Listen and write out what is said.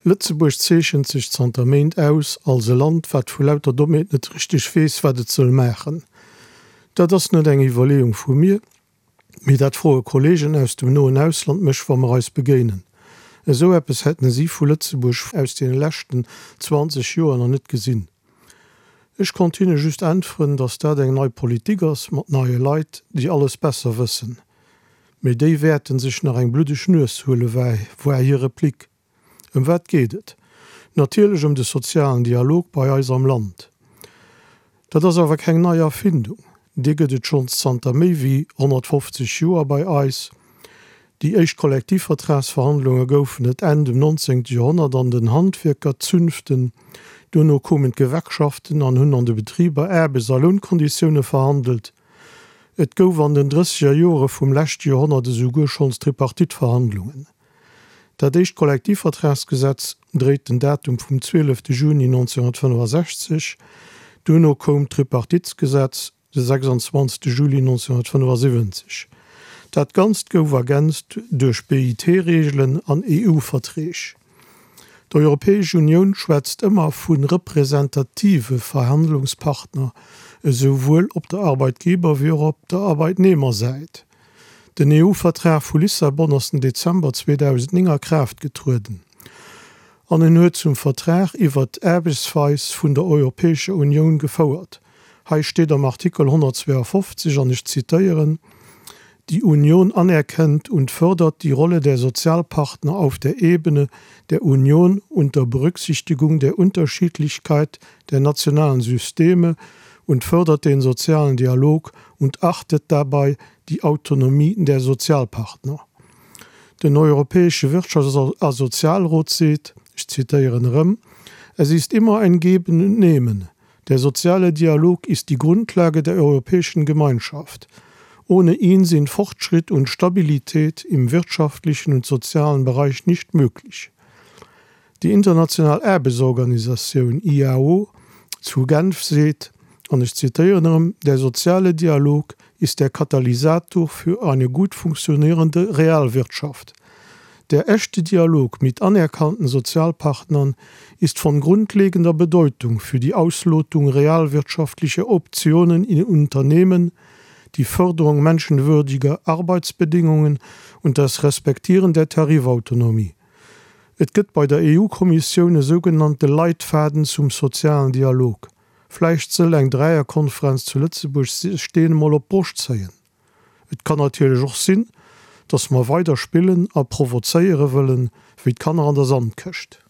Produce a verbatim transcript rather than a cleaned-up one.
Lëtzebuerg zeechent sech zanter Méint aus als e Land, wat vu lauter Dommheet net richteg weess, wat et soll maachen. Dat ass net eng Iwwerleeung vu mir, mee dat froe Kolleegen aus dem noen Ausland mech, wa mer eis begéinen. Esou eppes hätten si vu Lëtzebuerg aus deene leschten zwanzeg Joer nach net gesinn. Ech konnt hinne just äntweren, datt dat eng nei Politik ass, mat neie Leit, déi alles besser wëssen. Mee déi wäerten sech nach eng bluddeg Nues huelen, war hir Replik. Ëm wat geet et? Natierlech ëm de sozialen Dialog bei eis am Land. Dat ass awer keng nei Erfindung, dee gëtt et schonns zanter méi wéi honnertfofzeg Joer bei eis. Déi éischt Kollektivvertragsverhandlunge goufen et Enn dem nonzéngte Joerhonnert an den Handwierkerzünften. Duerno koumen d'Gewerkschaften an hunn an de Betriber Aarbechts a Lounkonditioune verhandelt. Et gouf an den drësseger Joere vum leschte Joerhonnert esouguer schonns Tripartite-Verhandlungen. Dat éischt Kollektivvertragsgesetz dréit den Datum vum zwielefte Juni nonzénhunnertfënnefasechzeg. Duerno koum d'Tripartitsgesetz de sechsanzwanzegste Juli nonzénhunnertfënnefasiwwenzeg. Dat Ganzt gouf ergänzt duerch B I T-Reegelen an E U-Verträg. D'Europäesch Unioun schwätzt ëmmer vu representative Verhandlungspartner, esouwuel op der Arbeitgeber wéi och op der Arbeitnehmersäit. Den E U-Vertrag vu Lissabon ass den Dezember zweedausendnéng a Kraaft getrueden an en huet zum Vertrag iwwert d'Aarbechtsweis vun der Europäescher Unioun gefouert. Hei steet am Artikel honnertzweeafofzeg, an ech zitéieren, Die Union anerkennt und fördert die Rolle der Sozialpartner auf der Ebene der Union unter Berücksichtigung der Unterschiedlichkeit der nationalen Systeme und fördert den sozialen Dialog und achtet dabei die Autonomie der Sozialpartner. Den Europäesche Wirtschafts a Sozialrot seet, ech zitéieren erëm, Es ist immer ein Geben und Nehmen. Der soziale Dialog ist die Grundlage der Europäischen Gemeinschaft. Ohne ihn sind Fortschritt und Stabilität im wirtschaftlichen und sozialen Bereich nicht möglich. Déi international Aarbechtsorganisatioun I A O zu Genf seet, an ech zitéieren erëm, Der soziale Dialog ist der Katalysator für eine gut funktionierende Realwirtschaft. Der echte Dialog mit anerkannten Sozialpartnern ist von grundlegender Bedeutung für die Auslotung realwirtschaftlicher Optionen in Unternehmen, die Förderung menschenwürdiger Arbeitsbedingungen und das Respektieren der Tarifautonomie. Et gëtt bei der E U-Kommissioun e sougenannte Leitfaden zum sozialen Dialog. Vläicht soll eng Dräierkonferenz zu Lëtzebuerg sech deen emol op d'Broscht zéien. Et kann natierlech och sinn, dass mer weider spillen a provozéiere wëllen, wéi d'Kanner an der Sandkëscht.